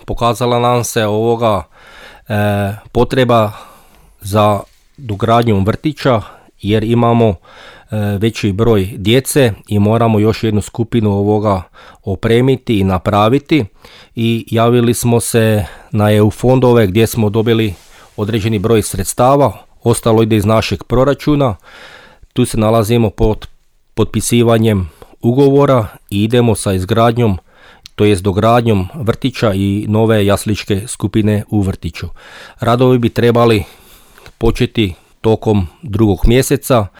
pokazala nam se potreba za dogradnjom vrtića, jer imamo veći broj djece i moramo još jednu skupinu opremiti i napraviti, i javili smo se na EU fondove gdje smo dobili određeni broj sredstava, ostalo ide iz našeg proračuna. Tu se nalazimo pod potpisivanjem ugovora i idemo sa izgradnjom, to jest dogradnjom vrtića i nove jasličke skupine u vrtiću. Radovi bi trebali početi tokom 2. mjeseca.